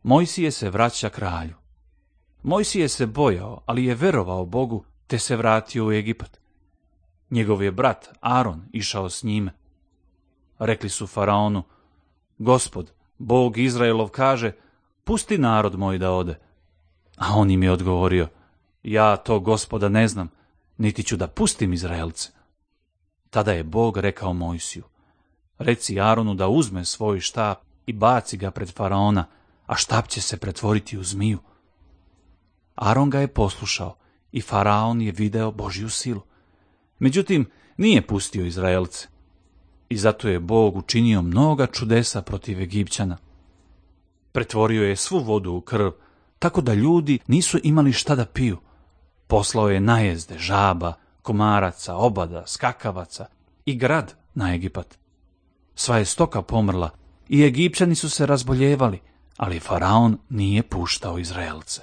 Mojsije se vraća kralju. Mojsije se bojao, ali je verovao Bogu, te se vratio u Egipat. Njegov je brat Aron išao s njime. Rekli su faraonu: Gospod, Bog Izraelov kaže: pusti narod moj da ode. A on im je odgovorio: ja to Gospoda ne znam, niti ću da pustim Izraelce. Tada je Bog rekao Mojsiju: reci Aronu da uzme svoj štap i baci ga pred faraona, a štap će se pretvoriti u zmiju. Aron ga je poslušao i faraon je video Božju silu. Međutim, nije pustio Izraelce. I zato je Bog učinio mnoga čudesa protiv Egipćana. Pretvorio je svu vodu u krv, tako da ljudi nisu imali šta da piju. Poslao je najezde žaba, komaraca, obada, skakavaca i grad na Egipat. Sva je stoka pomrla i Egipćani su se razboljevali, ali faraon nije puštao Izraelce.